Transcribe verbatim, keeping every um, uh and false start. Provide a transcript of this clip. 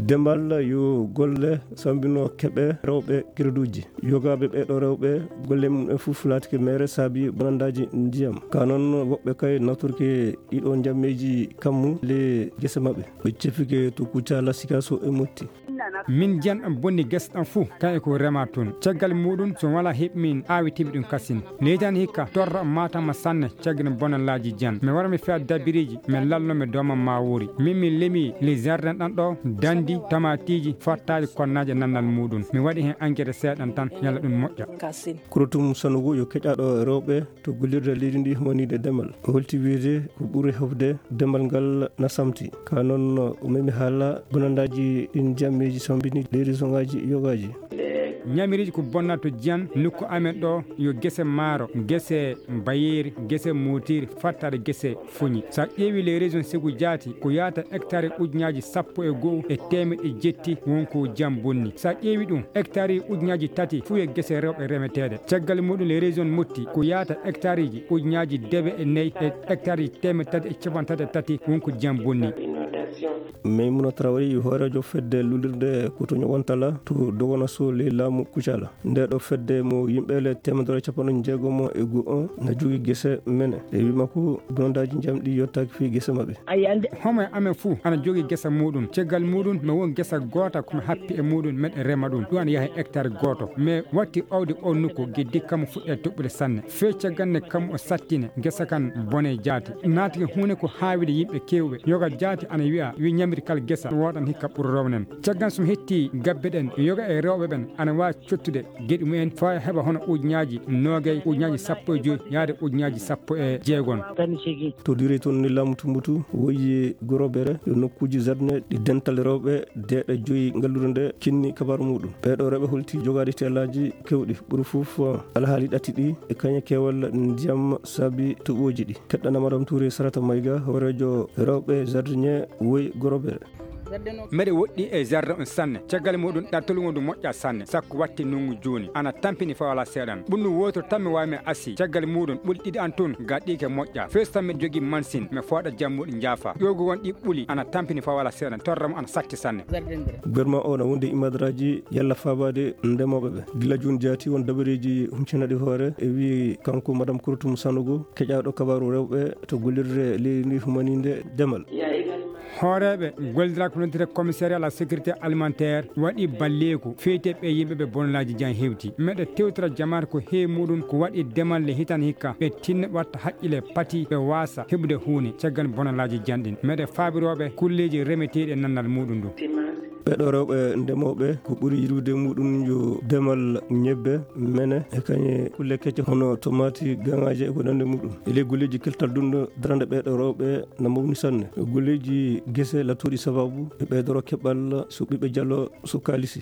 Demal yo golle sambino keɓe rewɓe crédit uji. Yogaaɓe ɓeeɗo rewɓe golle mum en fof laatike meere saabi bonandaaji ndiyam. Ka noon woɓɓe kay natorke ɗiɗo njammeeji kammu le gese maɓɓe. Ɓe cefike to Kucala, Sikaso e Motti. Min jiyan ɗam bonni gese ɗam fuu, kaye ko rema toon. Caggal muɗum, so wala heɓ min aawitiimi ɗum kasin. Leydi an hikka torra matama sanne, caggal bonalaaji jiyan. Mi wara mi fiya dabiriiji, mi lalno mi dooma ma woori. Min mi lemi le jardin ɗan ɗo, dandi, tamatiiji, fottaaji, konnaaji e nannal muɗum. Mi waɗi heen engrais seeɗan tan, yalla ɗum moƴƴa. Kurotum Sanogo yo keƴaɗo rewɓe to gollirde leydi ndi humaniiɗe demal. O holti wiyde ko ɓuri hewde demal ngal na samti. Ka noon o memi haala bonandaaji ɗin jammeeji sambini leydi songaaji yogaaji. Ñamiriiji ko bonnata to jiyan nokku amen ɗo yo gese maaro, gese bayeeri, gese mootiri, fattaade gese foñi. So a ƴeewi les régions segu jaati ko yaata hectare ujunaaji sappo e go'o e teemeɗɗe jetti won ko jam bonni. So a ƴeewi ɗum hectare ujunaaji tati fuu e gese rewɓe remeteeɗe. Caggal muɗum les régions motti ko yaata hectareji ujunaaji dewe e nayi e hectareji teemeɗɗe tati e capanɗe tati e tati won ko jam bonni. Maimouna Traoré yo hooreejo fedde lullirde Kotoño Wantala to Dogonaso ley laamu Kucala. Nde ɗo fedde mo yimɓe le teemedere capanɗe jeegomo e go'o na jogii gese mene. E wii makko bonandaaji njamɗi yottaaki fii gese maɓɓe. Homo e amen fuu ana jogii gese muɗum. Caggal muɗum mi won gese goota ko mi happi e muɗum meɗe rema ɗum. Ɗum ana yaha e hectare gooto. Mi watti owde o nokku geddi kammu fuɗɗe toɓɓude sanne. Fee caggal nde kammu o sattine gese kan bone jaati. Naatike huunde ko haawide yimɓe keewɓe. Yoga jaati ana wi'a, wi ñamiri kala gesa, woodan hikka ɓuri rownen. Caggal so mi hetti gabbe ɗen, yoga e rewɓe ɓen ana waawi cottude geɗi mumen faa heɓa hono ujunaaji noogay, ujunaaji sappo e joy, yaade ujunaaji sappo e jeegon. To Direy toon ni laamu Tumbutu woyi Gorobere, yo nokkuuji jardin ɗi dental rewɓe deeɗe joyi ngalluure nde kinni kabaaru muɗum. Ɓeeɗo rewɓe holti jogaade teelaaji keewɗi, ɓuri fof alhaali ɗati ɗi e kañe keewal ndiyam saabi toɓooji ɗi. Keɗɗana Madame Touré Sarata Mayga, hooreejo rewɓe jardinier woyi Gorobere. Mbeɗe woɗɗi e jardin on sanne. Caggal muɗum ɗattol ngu ndu moƴƴa sanne. Sakko watti nungu jooni. Ana tampini faa wala seeɗan. Ɓundu wooto tan mi waawi mi asi. Caggal muɗum ɓuli ɗiɗi an tun gaɗɗiike moƴƴa. Fees tan miɗo jogii mansin. Mi fooɗa jammuɗi njaafa. Ƴoogu won ɗi ɓuli. Ana tampini faa wala seeɗan. Torra mo ana satti sanne. Gouvernement o na wondi e imadaraaji yalla faabaade ndemooɓe ɓe. Gila jooni jaati won dabareeji huncinaɗi hoore e wii kanko Madame Kurtum Sanogo, keƴaaɗo kabaaru rewɓe to gollirde leydi ndi humaniinde demal. Hooreeɓe gollidiraaka ko noddetee commissariat à la sécurité alimentaire waɗi balleeku feyte ɓe yimɓe ɓe bonolaaji jan hewti. Meɗe tewtora jamaata ko heewi muɗum ko waɗi demal le hitan hikka ɓe tinna ɓe watta haqqile pati ɓe waasa heɓude huune caggal bonolaaji jan ɗin. Meɗe faabirooɓe kulleeji remeteeɗi e nannal muɗum ndu. Ɓeeɗo rewɓe ndemooɓe ko ɓuri yiɗude muɗum yo demal ñebbe, mene e kañe kulle kecce hono tomaati, gaŋaaje e ko nanndi muɗum. E ley golleeji keltal dunɗo darande ɓeeɗo rewɓe na mawni sanne. Golleeji gese lattooɗi sababu e ɓeydoro keɓal so ɓiɓɓe jalo so kaalisi.